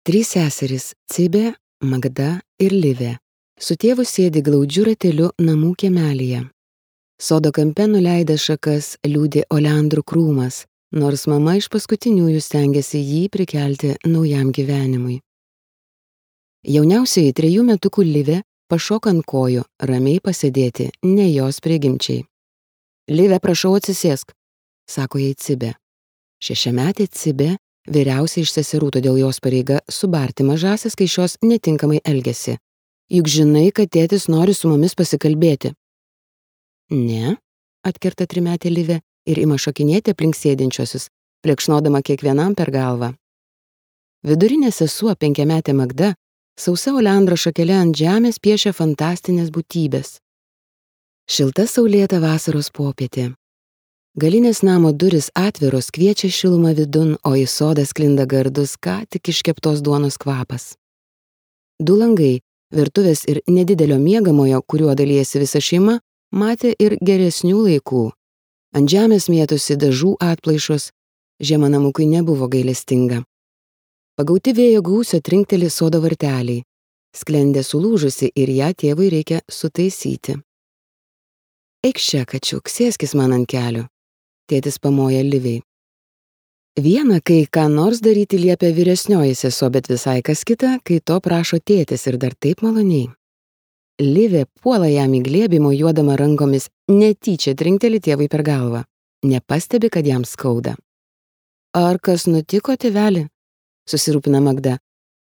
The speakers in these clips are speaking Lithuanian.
Trys seserys – Cibė, Magda ir Livė. Su tėvu sėdi glaudžiu rateliu namų kiemelyje. Sodo kampe nuleidęs šakas liūdi oleandrų krūmas, nors mama iš paskutiniųjų stengiasi jį prikelti naujam gyvenimui. Jauniausioji 3 metukų Livė pašoka ant kojų, ramiai pasėdėti, ne jos prigimčiai. Livė, prašau atsisėsk, sako jai Cibė. 6-metė Cibė vyriausia iš seserų, todėl jos pareiga subarti mažąsias, kai šios netinkamai elgiasi. Juk žinai, kad tėtis nori su mumis pasikalbėti. Ne, atkerta 3-metė Livė ir ima šokinėti aplink sėdinčiosius, plekšnodama kiekvienam per galvą. Vidurinė sesuo 5-metė Magda sausa oleandro šakele ant žemės piešia fantastinės būtybės. Šilta saulėta vasaros popietė. Galinės namo durys atviros kviečia šilumą vidun, o į sodą sklinda gardus ką tik iškeptos duonos kvapas. 2 langai, virtuvės ir nedidelio miegamojo, kuriuo dalijasi visa šeima, matė ir geresnių laikų. Ant žemės mėtosi dažų atplaišos, žiema namukui nebuvo gailestinga. Pagauti vėjo gūsio trinkteli sodo varteliai. Sklendė sulūžusi ir ją tėvui reikia sutaisyti. Eikš čia, kačiuk, sėskis man ant kelių. Tėtis pamoja Livei. Viena, kai ką nors daryti liepia vyresnioji sesuo, bet visai kas kita, kai to prašo tėtis ir dar taip maloniai. Livė puola jam į glėbį, mojuodama rankomis, netyčia trinkteli tėvui per galvą. Nepastebi, kad jam skauda. Ar kas nutiko, tėveli? Susirūpina Magda.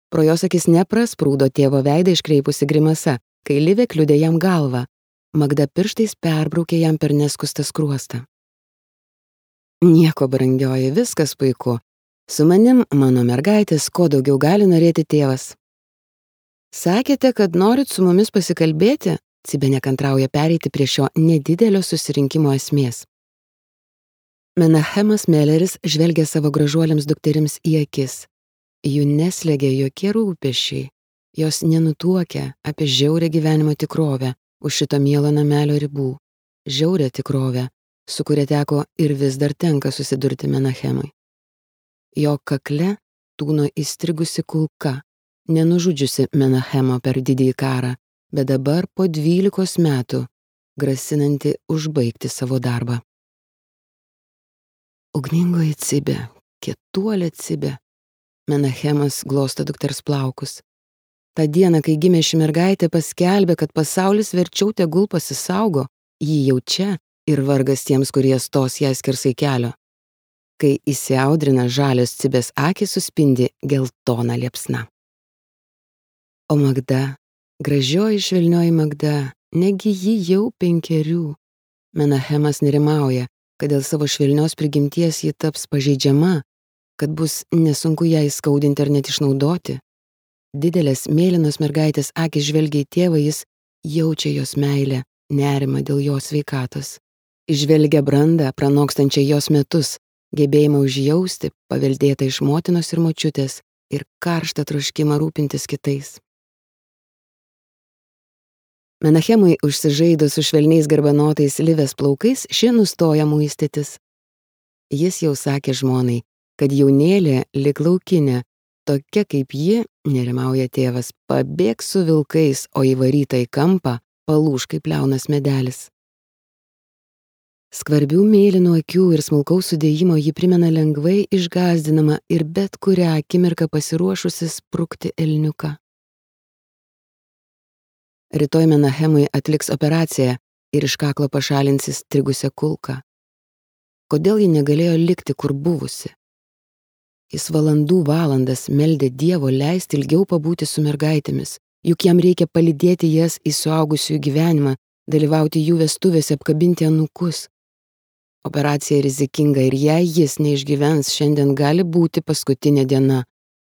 Pro jos akis neprasprūdo tėvo veidą iškreipusi grimasa, kai Livė kliudė jam galvą. Magda pirštais perbraukė jam per neskustą skruostą. Nieko, brangioji, viskas puiku. Su manim, mano mergaitės, ko daugiau gali norėti tėvas. Sakėte, kad norit su mumis pasikalbėti? Cibė nekantrauja pereiti prie šio nedidelio susirinkimo esmės. Menachemas Meleris žvelgia savo gražuoliams dukterims į akis. Jų neslegia jokie rūpesčiai. Jos nenutuokia apie žiaurią gyvenimo tikrovę už šito mielo namelio ribų. Žiaurią tikrovę, su kuria teko ir vis dar tenka susidurti Menachemui. Jo kakle tūno įstrigusi kulka, nenužudžiusi Menachemo per didįjį karą, bet dabar po 12 metų grasinanti užbaigti savo darbą. Ugningoji Cibė, kietuolė Cibė. Menachemas glosto dukters plaukus. Ta diena, kai gimė ši mergaitė, paskelbė, kad pasaulis verčiau tegul pasisaugo, jį jau čia ir vargas tiems, kurie stos ją skersai kelio. Kai įsiaudrina žalios Cibės akys, suspindi geltona liepsna. O Magda, gražioji švelnioji Magda, negi ji jau 5. Menachemas nerimauja, kad dėl savo švelnios prigimties ji taps pažeidžiama, kad bus nesunku ją įskaudinti ar net išnaudoti. Didelės mėlynos mergaitės akys žvelgia į tėvą, jis jaučia jos meilę, nerimą dėl jos sveikatos. Žvelgia brandą, pranokstančią jos metus, gebėjimą užjausti, paveldėtą iš motinos ir močiutės ir karštą troškimą rūpintis kitais. Menachemui užsižaidus su švelniais garbanotais Livės plaukais, ši nustoja muistytis. Jis jau sakė žmonai, kad jaunėlė lyg laukinė, tokia kaip ji, nerimauja tėvas, pabėgs su vilkais, o įvaryta į kampą palūš kaip liaunas medelis. Skvarbių mėlynų akių ir smulkaus sudėjimo ji primena lengvai išgąsdinamą ir bet kurią akimirką pasiruošusi sprukti elniuką. Rytoj Menachemui atliks operaciją ir iš kaklo pašalins įstrigusią kulką. Kodėl ji negalėjo likti, kur buvusi? Jis valandas meldė Dievo leisti ilgiau pabūti su mergaitėmis, juk jam reikia palydėti jas į suaugusiųjų gyvenimą, dalyvauti jų vestuvėse, apkabinti anūkus. Operacija rizikinga ir jei jis neišgyvens, šiandien gali būti paskutinė diena,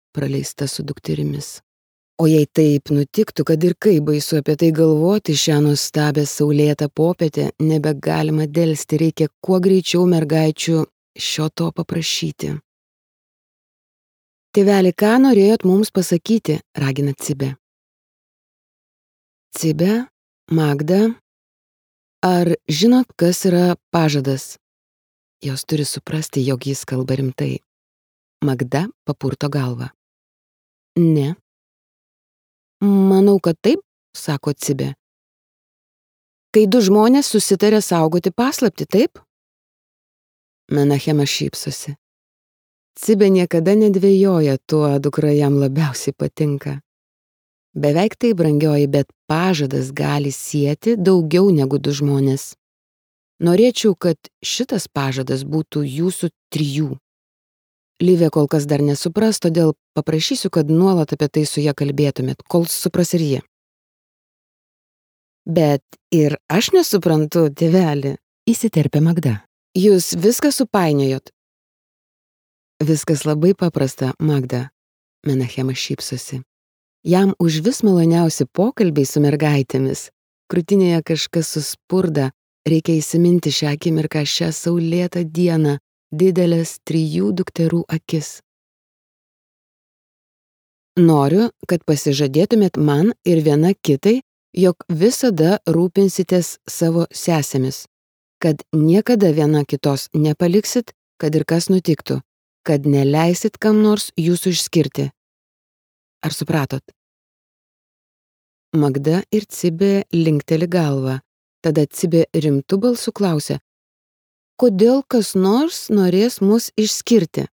praleista su dukterimis. O jei taip nutiktų, kad ir kaip baisu apie tai galvoti, šią nuostabią saulėtą popietę nebegalima delsti, reikia kuo greičiau mergaičių šio to paprašyti. Tėveli, ką norėjot mums pasakyti, ragina Cibė. Cibė, Magda, ar žinot, kas yra pažadas? Jos turi suprasti, jog jis kalba rimtai. Magda papurto galvą. Ne. Manau, kad taip, sako Cibė. Kai du žmonės susitarė saugoti paslaptį, taip? Menachemas šypsosi. Cibė niekada nedvejoja tuo, dukra jam labiausiai patinka. Beveik tai, brangioji, bet pažadas gali sieti daugiau negu du žmonės. Norėčiau, kad šitas pažadas būtų jūsų 3. Livė kol kas dar nesupras, todėl paprašysiu, kad nuolat apie tai su ja kalbėtumėt, kol supras ir ji. Bet ir aš nesuprantu, tėveli, įsiterpė Magda. Jūs viską supainiojot. Viskas labai paprasta, Magda. Menachemas šypsosi. Jam užvis maloniausi pokalbiai su mergaitėmis. Krūtinėje kažkas suspurda, reikia įsiminti šią akimirką, šią saulėtą dieną, didelės 3 dukterų akis. Noriu, kad pasižadėtumėt man ir viena kitai, jog visada rūpinsitės savo sesėmis, kad niekada viena kitos nepaliksit, kad ir kas nutiktų, kad neleisit kam nors jūsų išskirti. Ar supratot? Magda ir Cibė linkteli galvą. Tada Cibė rimtu balsu klausė, kodėl kas nors norės mus išskirti?